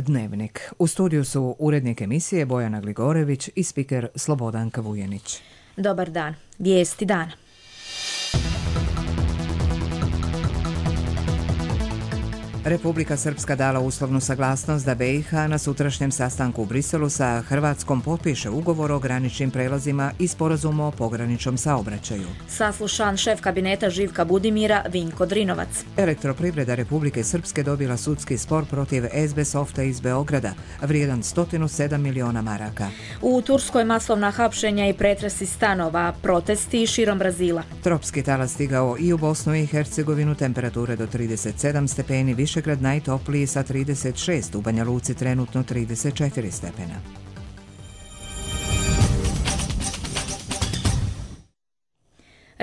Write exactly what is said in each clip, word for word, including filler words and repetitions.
Dnevnik. U studiju su urednik emisije Bojana Gligorević i spiker Slobodanka Vujenić. Dobar dan. Vijesti dana. Republika Srpska dala uslovnu saglasnost da B i H na sutrašnjem sastanku u Briselu sa Hrvatskom potpiše ugovor o graničnim prelazima i sporazum o pograničnom saobraćaju. Saslušan šef kabineta Živka Budimira Vinko Drinovac. Elektroprivreda Republike Srpske dobila sudski spor protiv S B Softa iz Beograda, vrijedan sto sedam miliona maraka. U Turskoj masovna hapšenja i pretresi stanova, protesti širom Brazila. Tropski talas stigao i u Bosnu i Hercegovinu, temperature do trideset sedam stepeni, Višegrad najtopliji sa trideset šest, u Banja Luci trenutno trideset četiri stepena.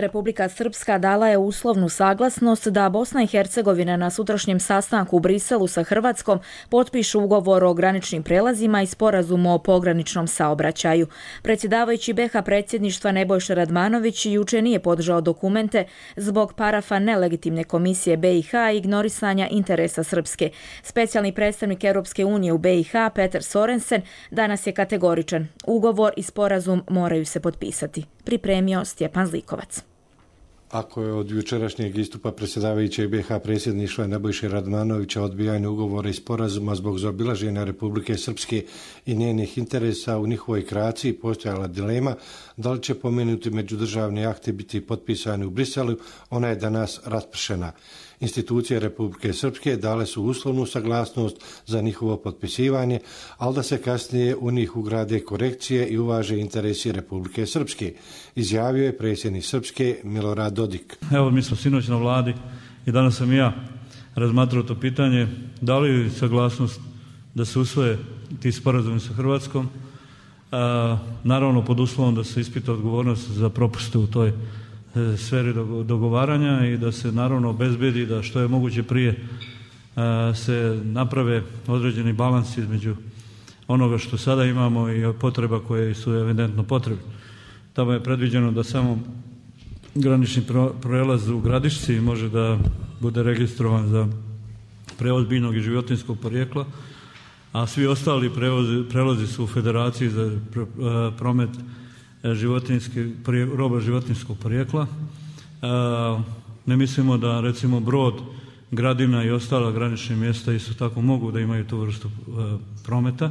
Republika Srpska dala je uslovnu saglasnost da Bosna i Hercegovina na sutrašnjem sastanku u Briselu sa Hrvatskom potpišu ugovor o graničnim prelazima i sporazum o pograničnom saobraćaju. Predsjedavajući B i H predsjedništva Nebojša Radmanović juče nije podržao dokumente zbog parafa nelegitimne komisije B i H i ignorisanja interesa Srpske. Specijalni predstavnik Europske unije u B i H Peter Sorensen danas je kategoričan. Ugovor i sporazum moraju se potpisati. Pripremio Stjepan Zlikovac. Ako je od jučerašnjeg istupa predsjedavajućeg B i H predsjedništva Nebojše Radmanovića odbijanje ugovora i sporazuma zbog zaobilaženja Republike Srpske i njenih interesa u njihovoj kreaciji postojala dilema da li će pomenuti međudržavni akti biti potpisani u Briselu, ona je danas raspršena. Institucije Republike Srpske dale su uslovnu saglasnost za njihovo potpisivanje, ali da se kasnije u njih ugrade korekcije i uvaže interesi Republike Srpske, izjavio je predsjednik Srpske Milorad Dodik. Evo, mi smo sinoć na vladi i danas sam i ja razmatrao to pitanje, da li saglasnost da se usvoje ti sporazumi sa Hrvatskom, a, naravno pod uslovom da se ispita odgovornost za propuste u toj sferi dogovaranja i da se naravno obezbedi da što je moguće prije se naprave određeni balans između onoga što sada imamo i potreba koje su evidentno potrebne. Tamo je predviđeno da samo granični prelaz u Gradišci može da bude registrovan za prevoz biljnog i životinjskog porijekla, a svi ostali prevozi, prelazi su u Federaciji za promet roba životinjskog porijekla. Ne mislimo da recimo Brod, Gradina i ostala granična mjesta isto tako mogu da imaju tu vrstu prometa.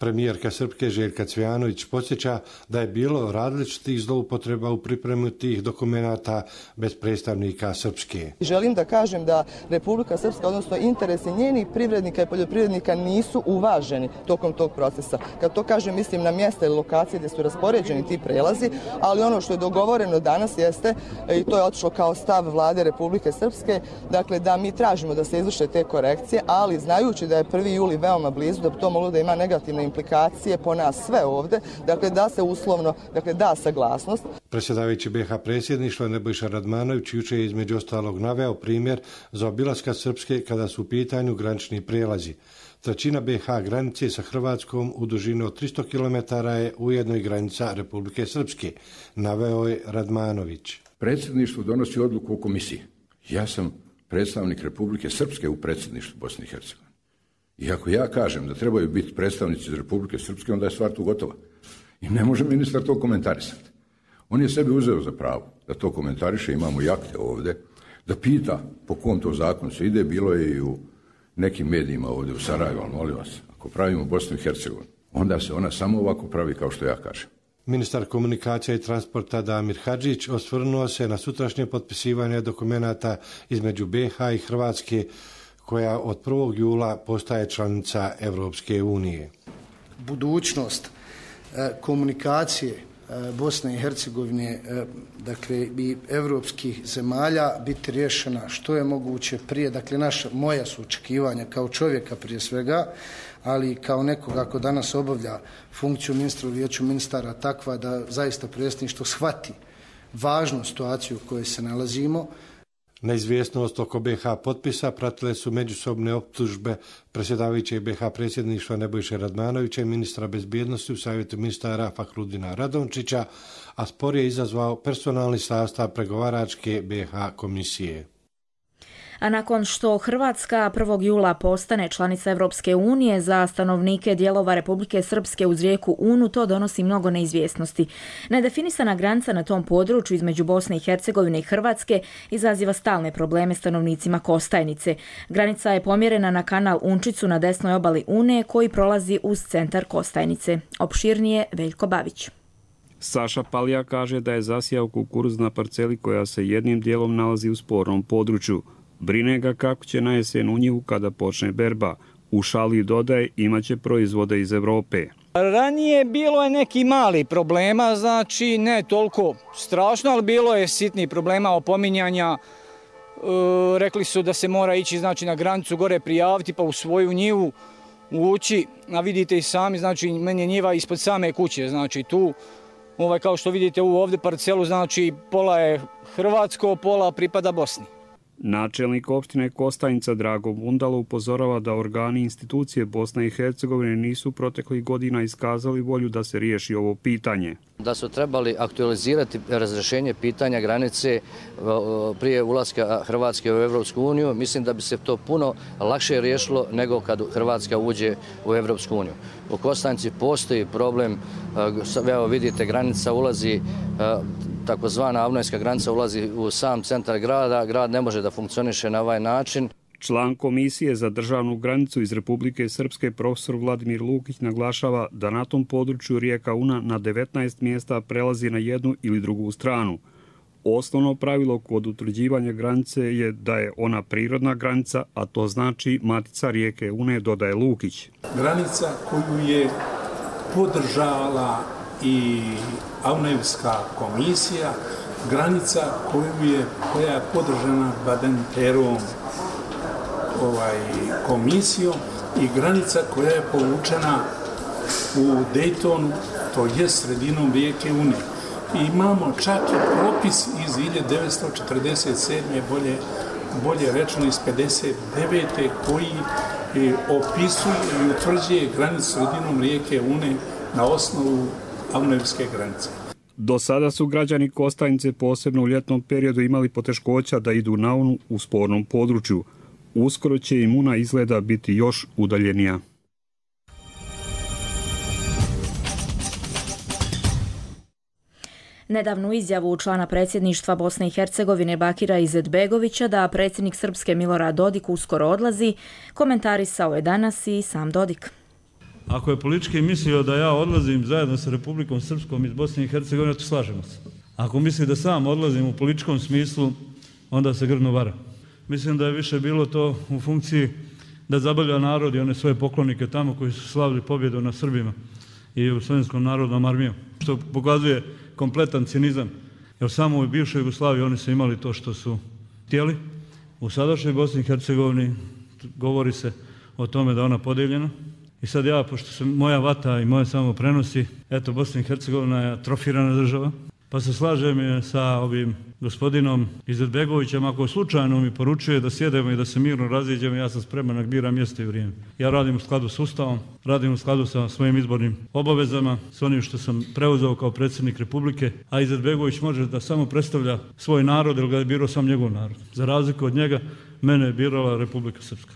Premijerka Srpske Željka Cvijanović podsjeća da je bilo različitih zloupotreba u pripremi tih dokumenata bez predstavnika Srpske. Želim da kažem da Republika Srpska, odnosno interesi njenih privrednika i poljoprivrednika nisu uvaženi tokom tog procesa. Kad to kažem, mislim na mjesta ili lokacije gdje su raspoređeni ti prelazi, ali ono što je dogovoreno danas jeste, i to je otišlo kao stav vlade Republike Srpske, dakle da mi tražimo da se izvrše te korekcije, ali znajući da je prvi juli veoma blizu, da bi to moglo da ima negativne implikacije po nas sve ovdje, dakle da se uslovno, dakle da saglasnost. Predsjedavajući B i H predsjedništva Nebojša Radmanović juče je između ostalog naveo primjer za obilaska Srpske kada su u pitanju granični prijelazi. Trećina B i H granice sa Hrvatskom u dužini od tristo kilometara je ujedno i granica Republike Srpske, naveo je Radmanović. Predsjedništvo donosi odluku o komisiji. Ja sam predstavnik Republike Srpske u predsjedništvu Bosne i Hercegovine. I ako ja kažem da trebaju biti predstavnici iz Republike Srpske, onda je stvar tu gotova. I ne može ministar to komentarisati. On je sebi uzeo za pravo da to komentariše, imamo i akte ovdje, da pita po kom to zakonu se ide, bilo je i u nekim medijima ovdje u Sarajevu, ali molim vas, ako pravimo Bosnu i Hercegovinu, onda se ona samo ovako pravi kao što ja kažem. Ministar komunikacija i transporta Damir Hadžić osvrnuo se na sutrašnje potpisivanje dokumenata između B i H i Hrvatske, koja od prvog jula postaje članica Europske unije. Budućnost e, komunikacije e, Bosne i Hercegovine, e, dakle i europskih zemalja, biti riješena što je moguće prije. Dakle, naša, moja su očekivanja kao čovjeka prije svega, ali kao nekoga ko danas obavlja funkciju ministra u vijeću ministara takva da zaista predsjedništvo shvati važnu situaciju u kojoj se nalazimo. Neizvjesnost oko B i H potpisa pratile su međusobne optužbe predsjedavajućeg B i H predsjedništva Nebojše Radmanovića i ministra bezbjednosti u savjetu ministara Fahrudina Radončića, a spor je izazvao personalni sastav pregovaračke B i H komisije. A nakon što Hrvatska prvog jula postane članica Europske unije, za stanovnike dijelova Republike Srpske uz rijeku Unu to donosi mnogo neizvjesnosti. Nedefinisana granica na tom području između Bosne i Hercegovine i Hrvatske izaziva stalne probleme stanovnicima Kostajnice. Granica je pomjerena na kanal Unčicu na desnoj obali Une koji prolazi uz centar Kostajnice. Opširnije Veljko Babić. Saša Palija kaže da je zasijao kukuruz na parceli koja se jednim dijelom nalazi u spornom području. Brine ga kako će na jesen u njivu kada počne berba. U šali dodaje imaće proizvode iz Evrope. Ranije bilo je neki mali problema, znači ne toliko strašno, ali bilo je sitnih problema opominjanja. E, rekli su da se mora ići znači, na granicu gore prijaviti pa u svoju njivu ući. A vidite i sami, znači meni je njiva ispod same kuće, znači tu. Ovaj, kao što vidite u ovdje parcelu, znači pola je hrvatsko, pola pripada Bosni. Načelnik opštine Kostajnica Drago Bundalo upozorava da organi institucije Bosne i Hercegovine nisu proteklih godina iskazali volju da se riješi ovo pitanje. Da su trebali aktualizirati razrešenje pitanja granice prije ulaska Hrvatske u Evropsku uniju, mislim da bi se to puno lakše riješilo nego kad Hrvatska uđe u Evropsku uniju. U Kostajnici postoji problem, evo vidite, granica ulazi, takozvana avnojska granica ulazi u sam centar grada, grad ne može da funkcioniše na ovaj način. Član Komisije za državnu granicu iz Republike Srpske profesor Vladimir Lukić naglašava da na tom području rijeka Una na devetnaest mjesta prelazi na jednu ili drugu stranu. Osnovno pravilo kod utvrđivanja granice je da je ona prirodna granica, a to znači matica rijeke Une, dodaje Lukić. Granica koju je podržala i Avnojevska komisija, granica koju je, koja je podržana Badenterovom ovaj, komisijom i granica koja je povučena u Daytonu, to je sredinom rijeke Une. I imamo čak i propis iz hiljadu devetsto četrdeset sedme. bolje, bolje rečeno iz pedeset devete koji opisuje i utvrđuje granicu sredinom rijeke Une na osnovu Avnojevske granice. Do sada su građani Kostajnice posebno u ljetnom periodu imali poteškoća da idu na Unu u spornom području. Uskoro će im Una izgleda biti još udaljenija. Nedavnu izjavu člana predsjedništva Bosne i Hercegovine Bakira Izetbegovića da predsjednik Srpske Milorad Dodik uskoro odlazi, komentarisao je danas i sam Dodik. Ako je politički mislio da ja odlazim zajedno sa Republikom Srpskom iz Bosne i Hercegovine, to slažemo se. Ako misli da sam odlazim u političkom smislu, onda se grdno vara. Mislim da je više bilo to u funkciji da zabavlja narod i one svoje poklonike tamo koji su slavili pobjedu na Srbima i u Slovenskom narodnom armijom, što pokazuje kompletan cinizam. Jer samo u bivšoj Jugoslaviji oni su imali to što su htjeli. U sadašnjoj Bosni i Hercegovini govori se o tome da ona podijeljena. I sad ja, pošto se moja vata i moje samo prenosi, eto, Bosna i Hercegovina je atrofirana država, pa se slažem sa ovim gospodinom Izetbegovićem, ako slučajno mi poručuje da sjedemo i da se mirno raziđemo, ja sam spreman da biram mjesto i vrijeme. Ja radim u skladu s Ustavom, radim u skladu sa svojim izbornim obavezama, s onim što sam preuzeo kao predsjednik Republike, a Izetbegović može da samo predstavlja svoj narod, jer ga je birao sam njegov narod. Za razliku od njega, mene je birala Republika Srpska.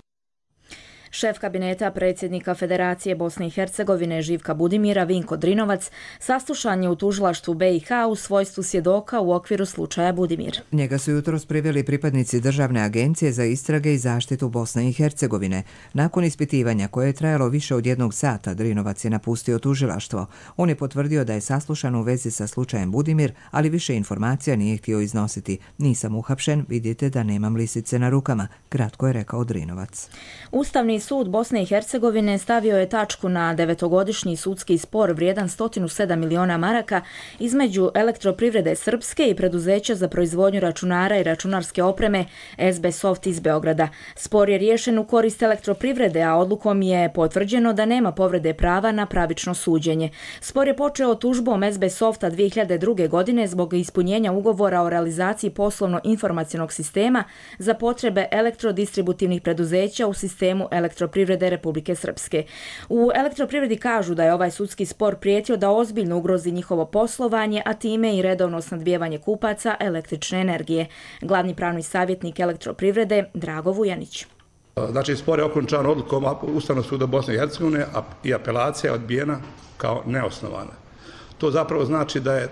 Šef kabineta predsjednika Federacije Bosne i Hercegovine Živka Budimira Vinko Drinovac saslušan je u tužilaštvu B i H u svojstvu svjedoka u okviru slučaja Budimir. Njega su jutros priveli pripadnici Državne agencije za istrage i zaštitu Bosne i Hercegovine. Nakon ispitivanja koje je trajalo više od jednog sata, Drinovac je napustio tužilaštvo. On je potvrdio da je saslušan u vezi sa slučajem Budimir, ali više informacija nije htio iznositi. Nisam uhapšen, vidite da nemam lisice na rukama, kratko je rekao Drinovac. Ustavni sud Bosne i Hercegovine stavio je tačku na devetogodišnji sudski spor vrijedan sto sedam miliona maraka između Elektroprivrede Srpske i preduzeća za proizvodnju računara i računarske opreme S B Soft iz Beograda. Spor je riješen u korist Elektroprivrede, a odlukom je potvrđeno da nema povrede prava na pravično suđenje. Spor je počeo tužbom S B Softa dvije hiljade druge. godine zbog ispunjenja ugovora o realizaciji poslovno-informacionog sistema za potrebe elektrodistributivnih preduzeća u sistemu elektroprivrede Elektroprivrede Republike Srpske. U Elektroprivredi kažu da je ovaj sudski spor prijetio da ozbiljno ugrozi njihovo poslovanje, a time i redovno snabdijevanje kupaca električne energije. Glavni pravni savjetnik Elektroprivrede Drago Vujanić. Znači, spor je okončan odlukom Ustavnog suda Bosne i Hercegovine i apelacija je odbijena kao neosnovana. To zapravo znači da je,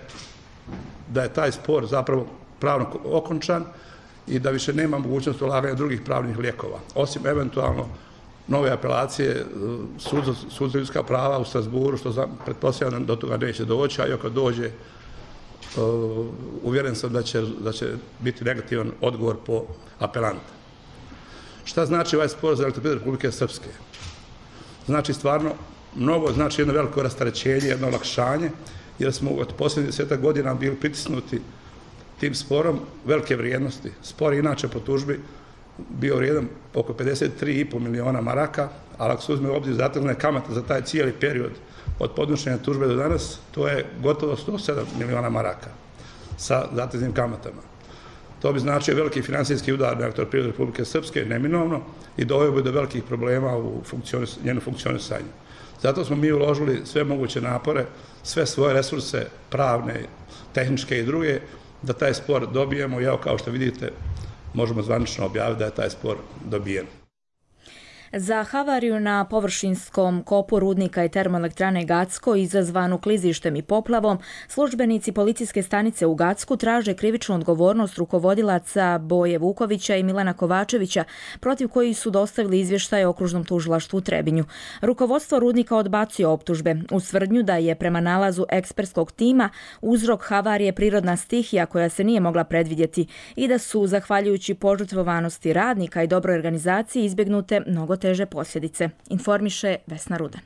da je taj spor zapravo pravno okončan i da više nema mogućnost ulaganja drugih pravnih lijekova, osim eventualno nove apelacije sud za, sud za ljudska prava u Strasburu, što pretpostavljam do toga neće doći, a i ako dođe, uh, uvjeren sam da će, da će biti negativan odgovor po apelanta. Šta znači ovaj spor za Elektroprivredu Republike Srpske? Znači stvarno mnogo, znači jedno veliko rasterećenje, jedno olakšanje, jer smo od posljednjih desetak godina bili pritisnuti tim sporom velike vrijednosti. Spor je inače po tužbi bio vrijedan oko pedeset tri i po miliona maraka, ali ako se uzme u obzir zatezne kamate za taj cijeli period od podnošenja tužbe do danas, to je gotovo sto sedam miliona maraka sa zateznim kamatama. To bi značio veliki financijski udar na Elektroprivredu Republike Srpske, neminovno, i doveo bi do velikih problema u funkcionis, njenu funkcionisanju. Zato smo mi uložili sve moguće napore, sve svoje resurse, pravne, tehničke i druge, da taj spor dobijemo i evo, kao što vidite, možemo zvanično objaviti da je taj spor dobijen. Za havariju na površinskom kopu rudnika i termoelektrane Gacko izazvanu klizištem i poplavom, službenici policijske stanice u Gacku traže krivičnu odgovornost rukovodilaca Boje Vukovića i Milana Kovačevića, protiv kojih su dostavili izvještaje okružnom tužilaštvu u Trebinju. Rukovodstvo rudnika odbacuje optužbe uz tvrdnju da je prema nalazu ekspertskog tima uzrok havarije prirodna stihija koja se nije mogla predvidjeti i da su, zahvaljujući požrtvovanosti radnika i dobroj organizaciji, izbjegnute mnogo teže posljedice, informiše Vesna Rudan.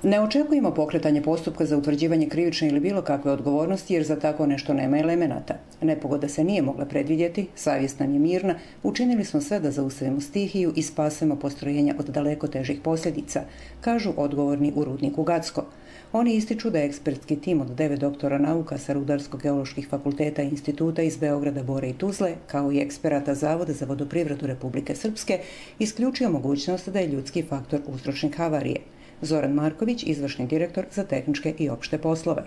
Ne očekujemo pokretanje postupka za utvrđivanje krivične ili bilo kakve odgovornosti jer za tako nešto nema elemenata. Nepogoda se nije mogla predvidjeti, savjest nam je mirna, učinili smo sve da zaustavimo stihiju i spasemo postrojenja od daleko težih posljedica, kažu odgovorni u rudniku Gacko. Oni ističu da je ekspertski tim od devet doktora nauka sa Rudarsko-geoloških fakulteta i instituta iz Beograda, Bore i Tuzle, kao i eksperata Zavoda za vodoprivredu Republike Srpske, isključio mogućnost da je ljudski faktor uzročnik havarije. Zoran Marković, izvršni direktor za tehničke i opšte poslove.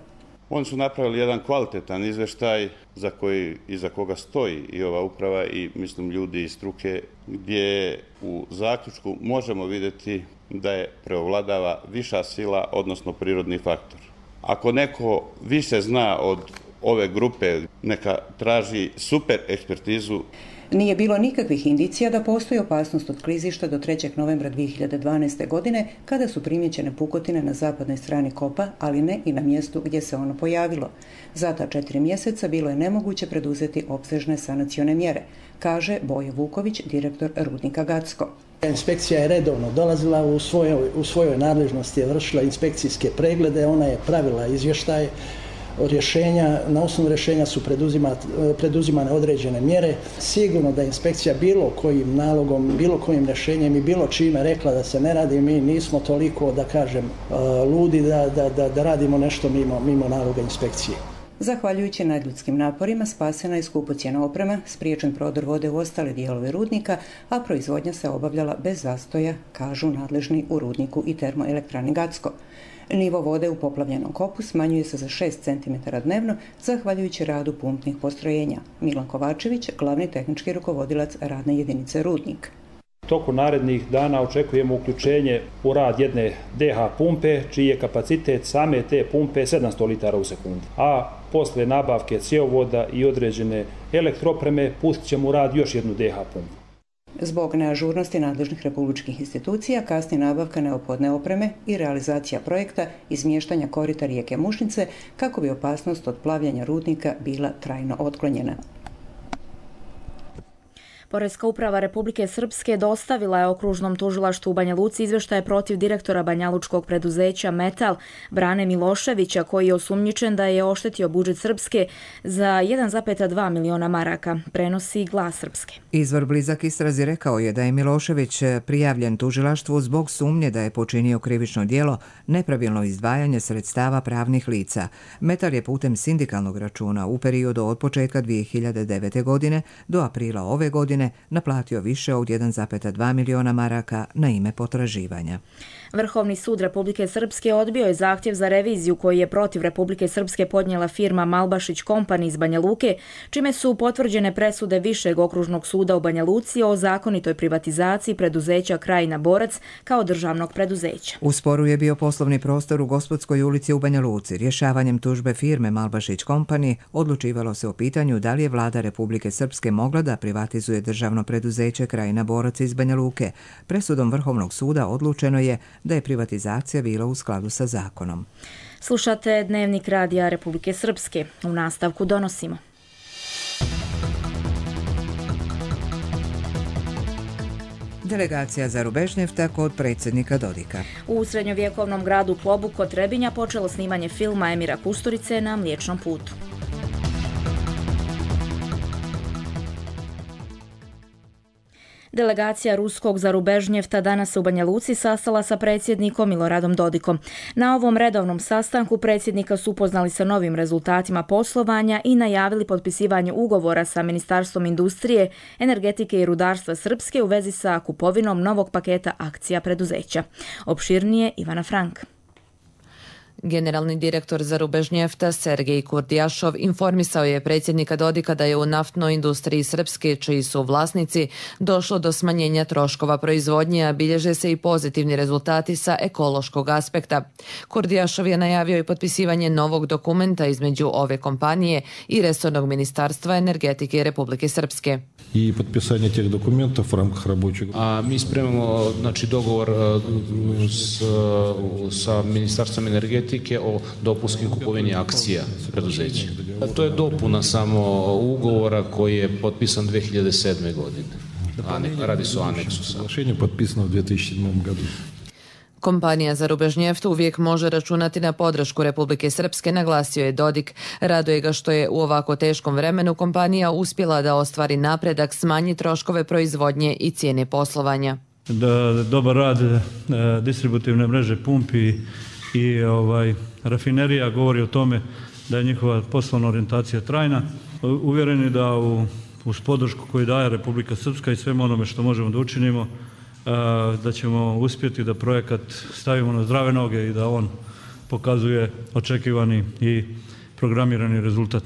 Oni su napravili jedan kvalitetan izveštaj za koji i za koga stoji i ova uprava i mislim ljudi iz struke, gdje u zaključku možemo vidjeti da je preovladava viša sila, odnosno prirodni faktor. Ako neko više zna od ove grupe, neka traži super ekspertizu. Nije bilo nikakvih indicija da postoji opasnost od klizišta do trećeg novembra dvije hiljade dvanaeste. godine, kada su primjećene pukotine na zapadnoj strani kopa, ali ne i na mjestu gdje se ono pojavilo. Za ta četiri mjeseca bilo je nemoguće preduzeti opsežne sanacione mjere, kaže Boje Vuković, direktor rudnika Gacko. Inspekcija je redovno dolazila u svojoj, u svojoj nadležnosti, je vršila inspekcijske preglede, ona je pravila izvještaje, rješenja, na osnovu rješenja su preduzimane određene mjere. Sigurno da inspekcija bilo kojim nalogom, bilo kojim rješenjem i bilo čime rekla da se ne radi, mi nismo toliko, da kažem, ludi da, da, da, da radimo nešto mimo, mimo naloga inspekcije. Zahvaljujući nadljudskim naporima spasena je skupocjena oprema, spriječen prodor vode u ostale dijelove rudnika, a proizvodnja se obavljala bez zastoja, kažu nadležni u rudniku i termoelektrani Gacko. Nivo vode u poplavljenom kopu smanjuje se za šest centimetara dnevno, zahvaljujući radu pumpnih postrojenja. Milan Kovačević, glavni tehnički rukovodilac radne jedinice Rudnik. Toku narednih dana očekujemo uključenje u rad jedne D H pumpe, čiji je kapacitet same te pumpe sedamsto litara u sekundi. A posle nabavke cjevovoda i određene elektropreme pustit ćemo u rad još jednu D H pumpu. Zbog neažurnosti nadležnih republičkih institucija kasni nabavka neophodne opreme i realizacija projekta izmještanja korita rijeke Mušnice kako bi opasnost od plavljanja rudnika bila trajno otklonjena. Poreska uprava Republike Srpske dostavila je okružnom tužilaštvu u Banja Luci izvještaje protiv direktora banjalučkog preduzeća Metal Brane Miloševića, koji je osumnjičen da je oštetio budžet Srpske za jedan zarez dva miliona maraka, prenosi Glas Srpske. Izvor blizak istrazi rekao je da je Milošević prijavljen tužilaštvu zbog sumnje da je počinio krivično djelo nepravilno izdvajanje sredstava pravnih lica. Metal je putem sindikalnog računa u periodu od početka dvije hiljade devete. godine do aprila ove godine godine naplatio više od jedan zarez dva miliona maraka na ime potraživanja. Vrhovni sud Republike Srpske odbio je zahtjev za reviziju koji je protiv Republike Srpske podnijela firma Malbašić Company iz Banja Luke, čime su potvrđene presude Višeg okružnog suda u Banja Luci o zakonitoj privatizaciji preduzeća Krajina Borac kao državnog preduzeća. U sporu je bio poslovni prostor u Gospodskoj ulici u Banja Luci. Rješavanjem tužbe firme Malbašić Company odlučivalo se o pitanju da li je vlada Republike Srpske mogla da privatizuje državno preduzeće Krajina Borac iz Banja Luke. Presudom Vrhovnog suda odlučeno je da je privatizacija bila u skladu sa zakonom. Slušate Dnevnik radija Republike Srpske. U nastavku donosimo. Delegacija Zarubežnjefta kod predsjednika Dodika. U srednjovjekovnom gradu Plobu kod Trebinja počelo snimanje filma Emira Kusturice na Mliječnom putu. Delegacija ruskog Zarubežnjefta danas se u Banja Luci sastala sa predsjednikom Miloradom Dodikom. Na ovom redovnom sastanku predsjednika su upoznali sa novim rezultatima poslovanja i najavili potpisivanje ugovora sa Ministarstvom industrije, energetike i rudarstva Srpske u vezi sa kupovinom novog paketa akcija preduzeća. Opširnije Ivana Frank. Generalni direktor Zarubežnjefta Sergej Kurdijašov informisao je predsjednika Dodika da je u naftnoj industriji Srpske, čiji su vlasnici, došlo do smanjenja troškova proizvodnje, a bilježe se i pozitivni rezultati sa ekološkog aspekta. Kurdijašov je najavio i potpisivanje novog dokumenta između ove kompanije i resornog ministarstva energetike Republike Srpske. I potpisanje tih dokumenta u рамках рабочего. A mi spremamo znači dogovor s, sa Ministarstvom energetike o dopunskim kupovini akcija preduzeća. To je dopuna samo ugovora koji je potpisan dvije hiljade sedme. godine. A radi se o aneksu. Соглашение подписано в две тысячи седьмом году. Kompanija Zarubežnjeft uvijek može računati na podršku Republike Srpske, naglasio je Dodik. Raduje ga što je u ovako teškom vremenu kompanija uspjela da ostvari napredak, smanji troškove proizvodnje i cijene poslovanja. Da, dobar rad e, distributivne mreže pumpi i ovaj, rafinerija govori o tome da je njihova poslovna orijentacija trajna. Uvjereni da u, uz podršku koju daje Republika Srpska i svemu onome što možemo da učinimo, da ćemo uspjeti da projekat stavimo na zdrave noge i da on pokazuje očekivani i programirani rezultat.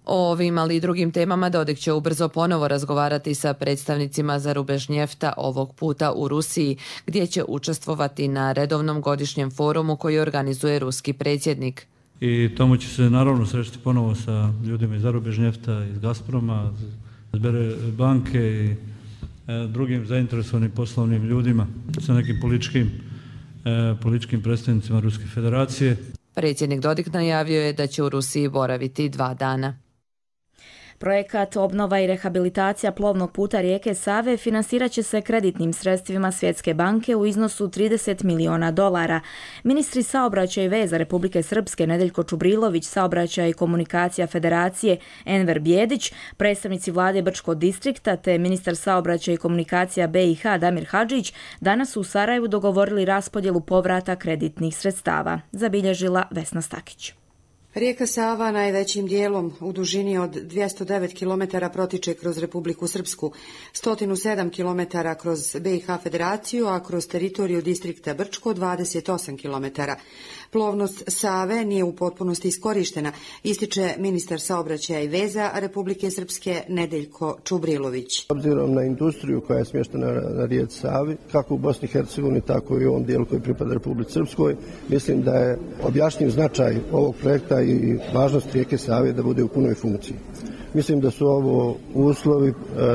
O ovim, ali i drugim temama Dodik će ubrzo ponovo razgovarati sa predstavnicima Zarubežnjefta, ovog puta u Rusiji, gdje će učestvovati na redovnom godišnjem forumu koji organizuje ruski predsjednik. I tamo će se naravno sresti ponovo sa ljudima iz Zarubežnjefta, iz Gazproma, iz Banke i drugim zainteresovanim poslovnim ljudima, sa nekim političkim, eh, političkim predstavnicima Ruske federacije. Predsjednik Dodik najavio je da će u Rusiji boraviti dva dana. Projekat obnova i rehabilitacija plovnog puta rijeke Save finansirat će se kreditnim sredstvima Svjetske banke u iznosu trideset miliona dolara. Ministri saobraćaja i veza Republike Srpske Nedeljko Čubrilović, saobraćaja i komunikacija Federacije Enver Bjedić, predstavnici vlade Brčkog distrikta te ministar saobraćaja i komunikacija B i H Damir Hadžić danas su u Sarajevu dogovorili raspodjelu povrata kreditnih sredstava, zabilježila Vesna Stakić. Rijeka Sava najvećim dijelom u dužini od dvjesto devet kilometara protiče kroz Republiku Srpsku, sto sedam kilometara kroz B i H federaciju, a kroz teritoriju distrikta Brčko dvadeset osam kilometara. Plovnost Save nije u potpunosti iskorištena, ističe ministar saobraćaja i veza Republike Srpske Nedeljko Čubrilović. Obzirom na industriju koja je smještena na rijeci Savi, kako u Bosni i Hercegovini, tako i u ovom dijelu koji pripada Republici Srpskoj, mislim da je objašnjiv značaj ovog projekta i važnost rijeke Save da bude u punoj funkciji. Mislim da su ovo uslovi e,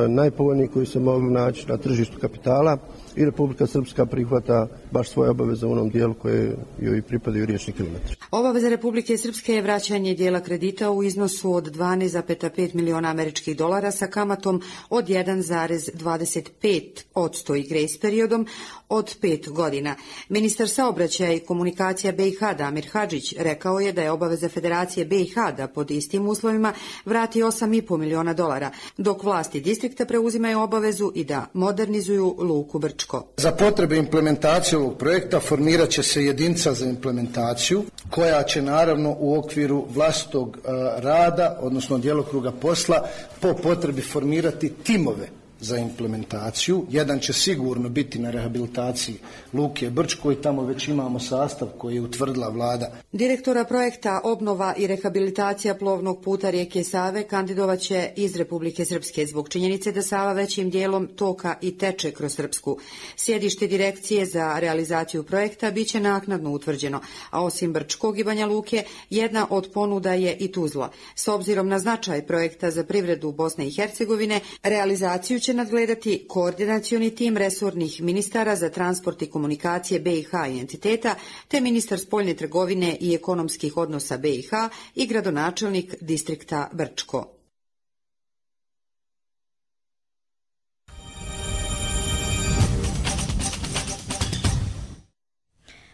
najpovoljniji koji se mogu naći na tržištu kapitala i Republika Srpska prihvata baš svoje obaveze u onom dijelu koje joj pripadaju riječni kilometri. Obaveza Republike Srpske je vraćanje dijela kredita u iznosu od dvanaest zarez pet miliona američkih dolara sa kamatom od jedan zarez dvadeset pet posto i grace periodom od pet godina. Ministar saobraćaja i komunikacija B i H Damir Hadžić rekao je da je obaveza Federacije B i H da pod istim uslovima vrati osam zarez pet miliona dolara, dok vlasti distrikta preuzimaju obavezu i da modernizuju luku Brčko. Za potrebe implementacije ovog projekta formirat će se jedinica za implementaciju koja će naravno u okviru vlastitog rada, odnosno djelokruga posla, po potrebi formirati timove za implementaciju. Jedan će sigurno biti na rehabilitaciji Luke Brčko i tamo već imamo sastav koji je utvrdila vlada. Direktora projekta Obnova i rehabilitacija plovnog puta rijeke Save kandidovat će iz Republike Srpske zbog činjenice da Sava većim dijelom toka i teče kroz Srpsku. Sjedište direkcije za realizaciju projekta biće naknadno utvrđeno, a osim Brčkog i Banja Luke, jedna od ponuda je i Tuzla. S obzirom na značaj projekta za privredu Bosne i Hercegovine, realizaciju će nadgledati koordinacioni tim resornih ministara za transport i komunikacije B i H i entiteta, te ministar spoljne trgovine i ekonomskih odnosa B i H i gradonačelnik distrikta Brčko.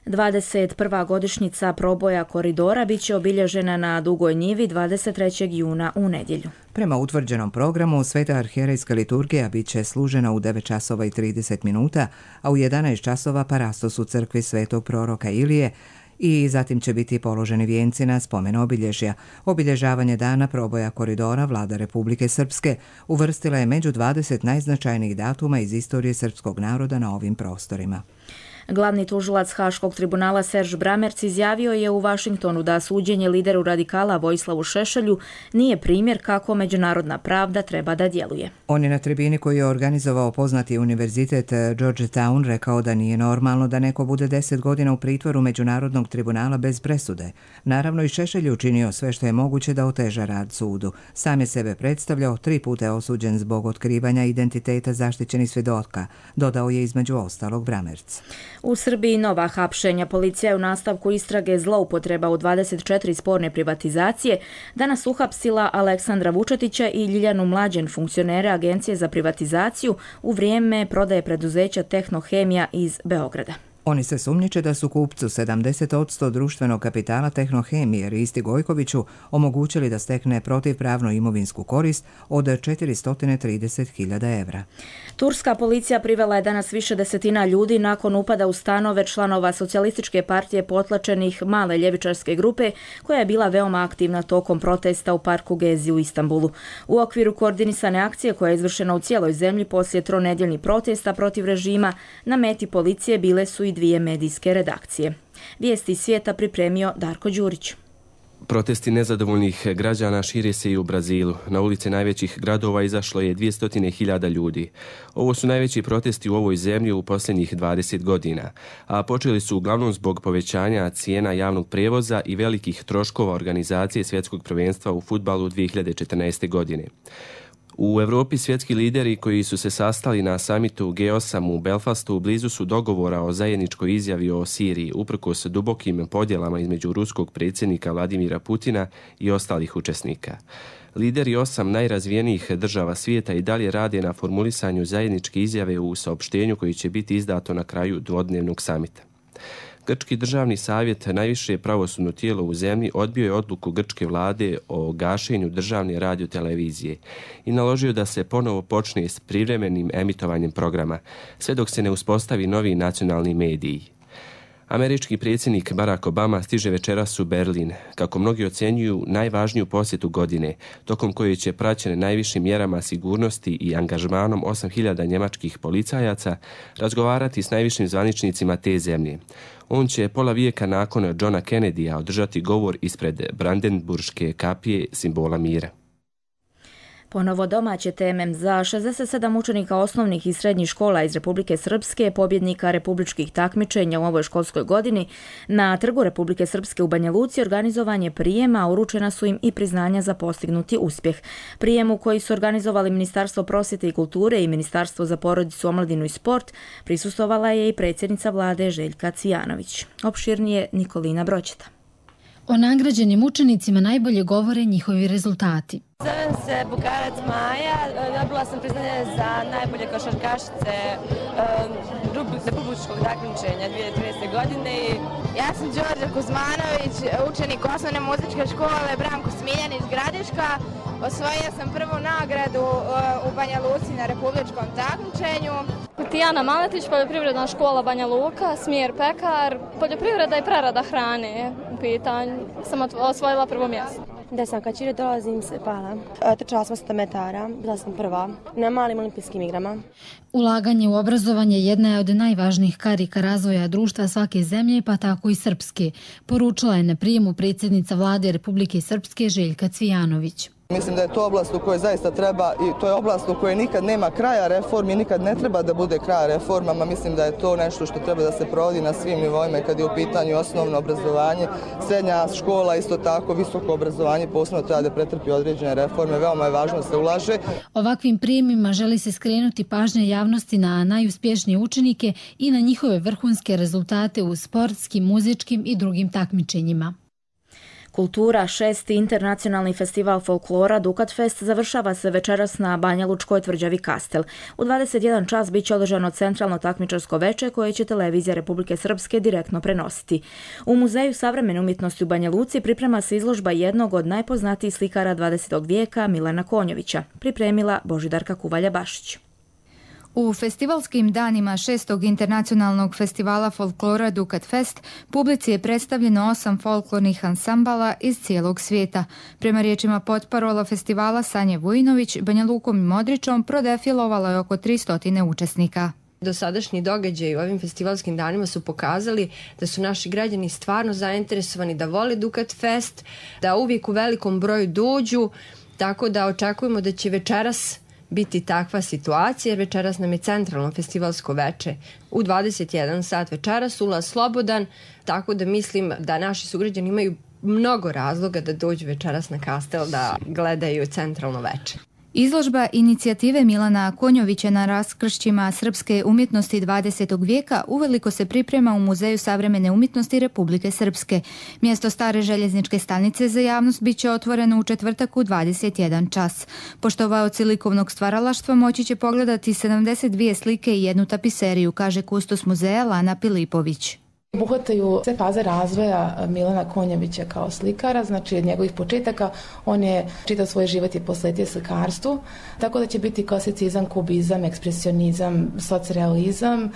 dvadeset prva godišnjica proboja koridora biće obilježena na Dugoj njivi dvadeset trećeg juna u nedjelju. Prema utvrđenom programu, Sveta arhijerejska liturgija biće služena u devet časova i trideset minuta, a u jedanaest časova parastos u crkvi Svetog proroka Ilije i zatim će biti položeni vijenci na spomen obilježja. Obilježavanje dana proboja koridora vlada Republike Srpske uvrstila je među dvadeset najznačajnijih datuma iz istorije srpskog naroda na ovim prostorima. Glavni tužilac Haškog tribunala Serž Bramerc izjavio je u Vašingtonu da suđenje lideru radikala Vojislavu Šešelju nije primjer kako međunarodna pravda treba da djeluje. On je na tribini koju je organizovao poznati univerzitet Georgetown rekao da nije normalno da neko bude deset godina u pritvoru Međunarodnog tribunala bez presude. Naravno i Šešelj je učinio sve što je moguće da oteža rad sudu. Sam je sebe predstavljao, tri puta je osuđen zbog otkrivanja identiteta zaštićenih svjedoka, dodao je između ostalog Bramerc. U Srbiji nova hapšenja. Policija je u nastavku istrage zloupotreba u dvadeset četiri sporne privatizacije danas uhapsila Aleksandra Vučetića i Ljiljanu Mlađen, funkcionere Agencije za privatizaciju, u vrijeme prodaje preduzeća Tehnohemija iz Beograda. Oni se sumnjiče da su kupcu sedamdeset posto društvenog kapitala Tehnohemije Risti Gojkoviću omogućili da stekne protivpravno imovinsku korist od četiristo trideset hiljada evra. Turska policija privela je danas više desetina ljudi nakon upada u stanove članova socijalističke partije potlačenih male ljevičarske grupe koja je bila veoma aktivna tokom protesta u parku Gezi u Istanbulu. U okviru koordinisane akcije koja je izvršena u cijeloj zemlji poslije tronedjeljnih protesta protiv režima, na meti policije bile su i dvije medijske redakcije. Vijesti iz svijeta pripremio Darko Đurić. Protesti nezadovoljnih građana šire se i u Brazilu. Na ulice najvećih gradova izašlo je dvjesto hiljada ljudi. Ovo su najveći protesti u ovoj zemlji u posljednjih dvadeset godina, a počeli su uglavnom zbog povećanja cijena javnog prijevoza i velikih troškova organizacije svjetskog prvenstva u fudbalu dvije hiljade četrnaeste. godine. U Europi svjetski lideri koji su se sastali na samitu G osam u Belfastu blizu su dogovora o zajedničkoj izjavi o Siriji, uprkos dubokim podjelama između ruskog predsjednika Vladimira Putina i ostalih učesnika. Lideri osam najrazvijenijih država svijeta i dalje rade na formulisanju zajedničke izjave u saopštenju koji će biti izdato na kraju dvodnevnog samita. Grčki državni savjet, najviše pravosudno tijelo u zemlji, odbio je odluku grčke vlade o gašenju državne radiotelevizije i naložio da se ponovo počne s privremenim emitovanjem programa, sve dok se ne uspostavi novi nacionalni mediji. Američki predsjednik Barack Obama stiže večeras u Berlin, kako mnogi ocjenjuju najvažniju posjetu godine, tokom koje će praćene najvišim mjerama sigurnosti i angažmanom osam hiljada njemačkih policajaca razgovarati s najvišim zvaničnicima te zemlje. On će pola vijeka nakon Johna Kennedya održati govor ispred Brandenburške kapije, simbola mira. Ponovo domaće teme. Za šezdeset sedam učenika osnovnih i srednjih škola iz Republike Srpske, pobjednika republičkih takmičenja u ovoj školskoj godini, na Trgu Republike Srpske u Banja Luci organizovan je prijem, a uručena su im i priznanja za postignuti uspjeh. Prijemu koji su organizovali Ministarstvo prosvjete i kulture i Ministarstvo za porodicu, omladinu i sport prisustvovala je i predsjednica vlade Željka Cvijanović. Opširnije Nikolina Broćeta. O nagrađenim učenicima najbolje govore njihovi rezultati. Zovem se Bukarac Maja, dobila sam priznanje za najbolje košarkašice republičkog takmičenja dvije hiljade trinaeste. godine. Ja sam Đorđe Kuzmanović, učenik osnovne muzičke škole Branko Smiljan iz Gradiška. Osvojila sam prvu nagradu u Banja Luci na republičkom takmičenju. Tijana Maletić, poljoprivredna škola Banja Luka, smjer pekar, poljoprivreda i prerada hrane u pitanju. Sam osvojila prvo mjesto. Da sam kad Čire dolazim se pala. Trčala sam sto metara, bila sam prva na malim olimpijskim igrama. Ulaganje u obrazovanje jedna je od najvažnijih karika razvoja društva svake zemlje, pa tako i srpske, poručila je na prijemu predsjednica vlade Republike Srpske Željka Cvijanović. Mislim da je to oblast u kojoj zaista treba i to je oblast u kojoj nikad nema kraja reformi, nikad ne treba da bude kraja reformama. Mislim da je to nešto što treba da se provodi na svim nivoima kad je u pitanju osnovno obrazovanje, srednja škola, isto tako visoko obrazovanje, posebno treba da pretrpi određene reforme, veoma je važno da se ulaže. Ovakvim prijemima želi se skrenuti pažnja javnosti na najuspješnije učenike i na njihove vrhunske rezultate u sportskim, muzičkim i drugim takmičenjima. Kultura, šesti internacionalni festival folklora Dukat Fest završava se večeras na Banjalučkoj tvrđavi Kastel. U dvadeset jedan čas bit će održano centralno takmičarsko veče koje će televizija Republike Srpske direktno prenositi. U Muzeju savremene umjetnosti u Banja Luci priprema se izložba jednog od najpoznatijih slikara dvadesetog vijeka Milana Konjovića, pripremila Božidarka Kuvalja-Bašić. U festivalskim danima šestog internacionalnog festivala folklora Dukat Fest publici je predstavljeno osam folklornih ansambala iz cijelog svijeta. Prema riječima potparola festivala Sanje Vujinović, Banja Lukom i Modričom prodefilovalo je oko tristo učesnika. Dosadašnji događaji u ovim festivalskim danima su pokazali da su naši građani stvarno zainteresovani, da vole Dukat Fest, da uvijek u velikom broju dođu, tako da očekujemo da će večeras biti takva situacija, jer večeras nam je centralno festivalsko veče u dvadeset jedan sat večeras, ulaz slobodan, tako da mislim da naši sugrađani imaju mnogo razloga da dođu večeras na Kastel da gledaju centralno veče. Izložba inicijative Milana Konjovića na raskršćima srpske umjetnosti dvadesetog vijeka uveliko se priprema u Muzeju savremene umjetnosti Republike Srpske. Mjesto stare željezničke stanice za javnost bit će otvoreno u četvrtak u dvadeset jedan čas. Poštovaoci likovnog stvaralaštva moći će pogledati sedamdeset dvije slike i jednu tapiseriju, kaže kustos muzeja Lana Pilipović. Obuhvataju sve faze razvoja Milana Konjovića kao slikara, znači od njegovih početaka on je čitav svoj život je posvetio slikarstvu, tako da će biti klasicizam, kubizam, ekspresionizam, socrealizam,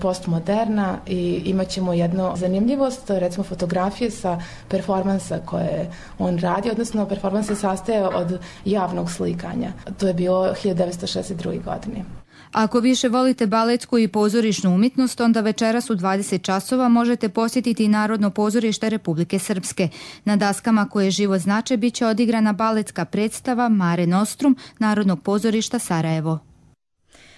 postmoderna i imat ćemo jednu zanimljivost, recimo fotografije sa performansa koje on radi, odnosno performans se sastaje od javnog slikanja. To je bilo hiljadu devetsto šezdeset druge. godine. Ako više volite baletsku i pozorišnu umjetnost, onda večeras u dvadeset časova možete posjetiti Narodno pozorište Republike Srpske. Na daskama koje živo znače bit će odigrana baletska predstava Mare Nostrum Narodnog pozorišta Sarajevo.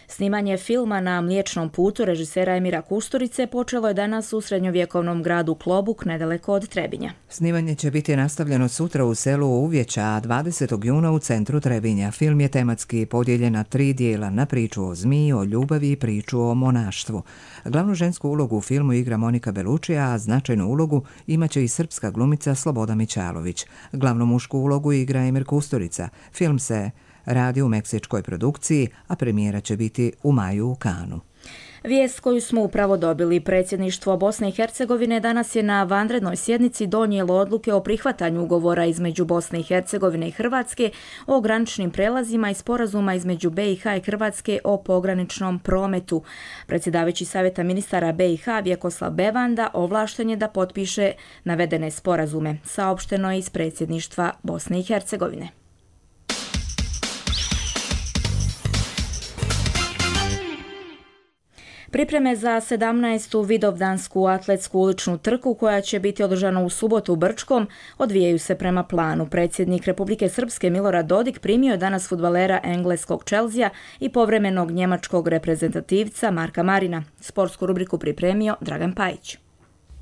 Snimanje filma Na Mliječnom putu režisera Emira Kusturice počelo je danas u srednjovjekovnom gradu Klobuk, nedaleko od Trebinja. Snimanje će biti nastavljeno sutra u selu Uvjeća, a dvadesetog juna u centru Trebinja. Film je tematski podijeljen na tri dijela, na priču o zmiji, o ljubavi i priču o monaštvu. Glavnu žensku ulogu u filmu igra Monika Belučija, a značajnu ulogu imaće i srpska glumica Sloboda Mićalović. Glavnu mušku ulogu igra Emir Kusturica. Film se radi u meksičkoj produkciji, a premijera će biti u maju u Kanu. Vijest koju smo upravo dobili, predsjedništvo Bosne i Hercegovine danas je na vanrednoj sjednici donijelo odluke o prihvatanju ugovora između Bosne i Hercegovine i Hrvatske o graničnim prelazima i sporazuma između be i ha i Hrvatske o pograničnom prometu. Predsjedavajući Savjeta ministara be i ha Vjekoslav Bevanda ovlašten je da potpiše navedene sporazume, saopšteno je iz predsjedništva Bosne i Hercegovine. Pripreme za sedamnaestu Vidovdansku atletsku uličnu trku koja će biti održana u subotu u Brčkom odvijaju se prema planu. Predsjednik Republike Srpske Milorad Dodik primio je danas fudbalera engleskog Chelsea i povremenog njemačkog reprezentativca Marka Marina. Sportsku rubriku pripremio Dragan Pajić.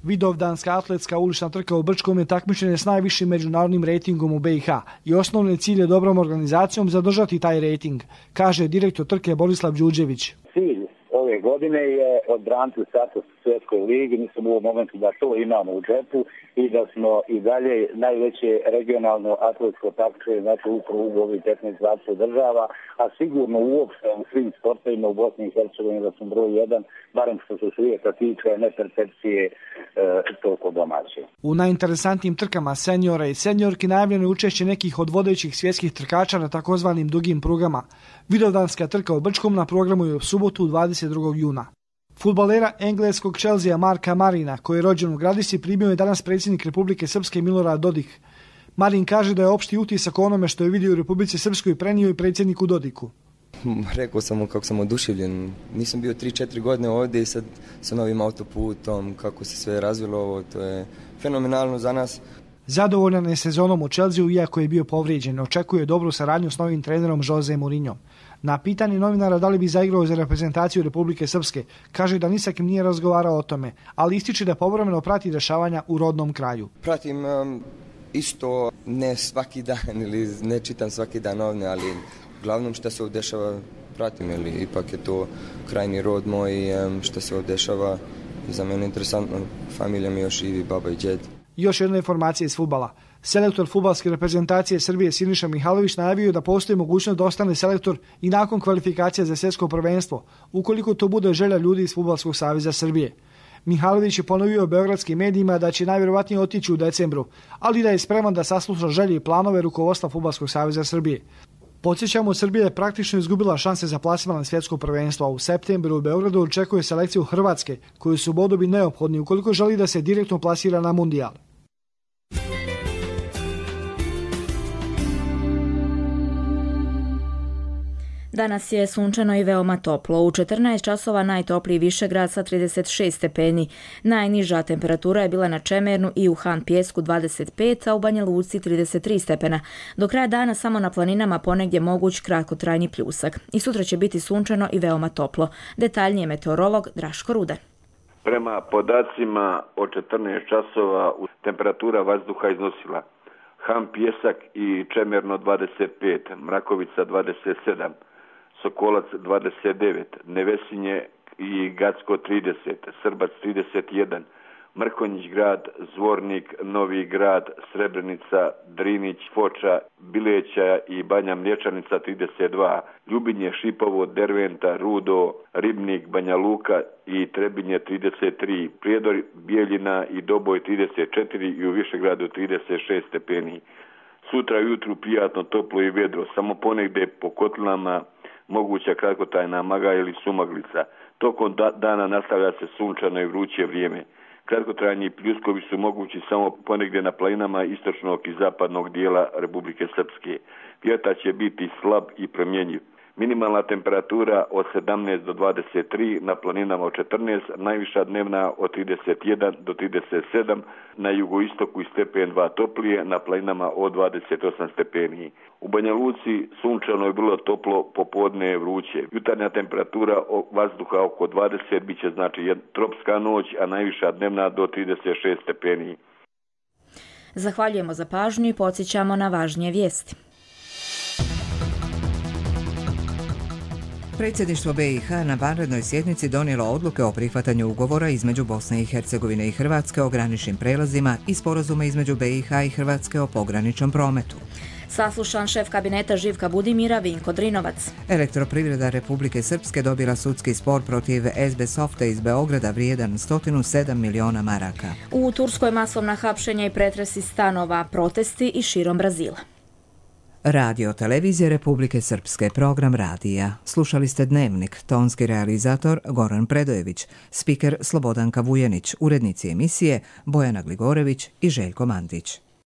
Vidovdanska atletska ulična trka u Brčkom je takmičenje s najvišim međunarodnim rejtingom u be i ha i osnovni cilj je dobrom organizacijom zadržati taj rejting, kaže direktor trke Borislav Đuđević. Cilj ove godine je odbraniti status u svjetskoj ligi, mislim u ovom momentu da to imamo u džepu i da smo i dalje najveće regionalno atletsko takmičenje, znači upravo u ovih petnaest dvadeset država, a sigurno uopšte u svim sportovima u Bosni i Hercegovini da smo broj jedan, barem što se svijeta tiče, ne percepcije e, toliko domaće. U najinteresantnijim trkama seniora i seniorki najavljeno je učešće nekih od vodećih svjetskih trkača na takozvanim dugim prugama. Vidovdanska trka u Brčkom na programu je u subotu dvadeset drugog juna. Fudbalera engleskog Chelsea Marka Marina, koji je rođen u Gradisi, primio je danas predsjednik Republike Srpske Milorad Dodik. Marin kaže da je opšti utisak o onome što je vidio u Republici Srpskoj prenio i predsjedniku Dodiku. Rekao sam mu kako sam oduševljen. Nisam bio tri četiri godine ovdje i sad sa novim autoputom, kako se sve razvilo ovo, to je fenomenalno za nas. Zadovoljan je sezonom u Chelsea, iako je bio povrijeđen. Očekuje dobru saradnju s novim trenerom Jose Mourinho. Na pitanje novinara da li bi zaigrao za reprezentaciju Republike Srpske, kaže da ni sa kim nije razgovarao o tome, ali ističe da povremeno prati dešavanja u rodnom kraju. Pratim um, isto ne svaki dan ili ne čitam svaki dan novine, ali uglavnom što se ovdje dešava pratim, ili ipak je to krajni rod moj, um, što se ovdje dešava. Za mene interesantno, familija mi još živi, baba i djed. Još jedna informacija iz fudbala. Selektor fudbalske reprezentacije Srbije Siniša Mihajlović najavio da postoji mogućnost da ostane selektor i nakon kvalifikacija za svjetsko prvenstvo, ukoliko to bude želja ljudi iz Fudbalskog saveza Srbije. Mihajlović je ponovio beogradskim medijima da će najvjerovatnije otići u decembru, ali da je spreman da sasluša želje i planove rukovodstva Fudbalskog saveza Srbije. Podsjećamo, Srbija je praktično izgubila šanse za plasman na svjetsko prvenstvo, a u septembru u Beogradu očekuje selekciju Hrvatske, koju su bodovi neophodni ukoliko želi da se direktno plasira na mundijal. Danas je sunčano i veoma toplo. U četrnaest časova najtopliji Višegrad sa trideset šest stepeni. Najniža temperatura je bila na Čemernu i u Han Pjesku dvadeset pet, a u Banja Luci trideset tri stepena. Do kraja dana samo na planinama ponegdje moguć kratkotrajni pljusak. I sutra će biti sunčano i veoma toplo. Detaljnije meteorolog Draško Rude. Prema podacima od četrnaest časova temperatura vazduha iznosila Han Pjesak i Čemerno dvadeset pet, Mrakovica dvadeset sedam, Sokolac dvadeset devet, Nevesinje i Gacko trideset, Srbac trideset jedan, Mrkonjić grad, Zvornik, Novi grad, Srebrenica, Drinić, Foča, Bileća i Banja Mlječanica trideset dva, Ljubinje, Šipovo, Derventa, Rudo, Ribnik, Banja Luka i Trebinje trideset tri, Prijedor, Bijeljina i Doboj trideset četiri i u Višegradu trideset šest stepeni. Sutra jutru prijatno, toplo i vedro, samo ponegdje po kotlinama moguća kratkotrajna maga ili sumaglica. Tokom da, dana nastavlja se sunčano i vruće vrijeme. Kratkotrajni pljuskovi su mogući samo ponegdje na planinama istočnog i zapadnog dijela Republike Srpske. Vjetar će biti slab i promjenjiv. Minimalna temperatura od sedamnaest do dvadeset tri, na planinama od četrnaest, najviša dnevna od trideset jedan do trideset sedam, na jugoistoku i stepen dva toplije, na planinama od dvadeset osam stepeni. U Banja Luci sunčano je bilo toplo, popodne je vruće. Jutarnja temperatura vazduha oko dvadeset, bit će znači tropska noć, a najviša dnevna do trideset šest stepeni. Zahvaljujemo za pažnju i podsjećamo na važnije vijesti. Predsjedništvo B i H na vanrednoj sjednici donijelo odluke o prihvatanju ugovora između Bosne i Hercegovine i Hrvatske o graničnim prelazima i sporazuma između B i H i Hrvatske o pograničnom prometu. Saslušan šef kabineta Živka Budimira Vinko Drinovac. Elektroprivreda Republike Srpske dobila sudski spor protiv S B Softa iz Beograda vrijedan sto sedam miliona maraka. U Turskoj masovna hapšenja i pretresi stanova, protesti i širom Brazila. Radio televizije Republike Srpske, program radija. Slušali ste Dnevnik, tonski realizator Goran Predojević, spiker Slobodanka Vujenić, urednici emisije Bojana Gligorević i Željko Mandić.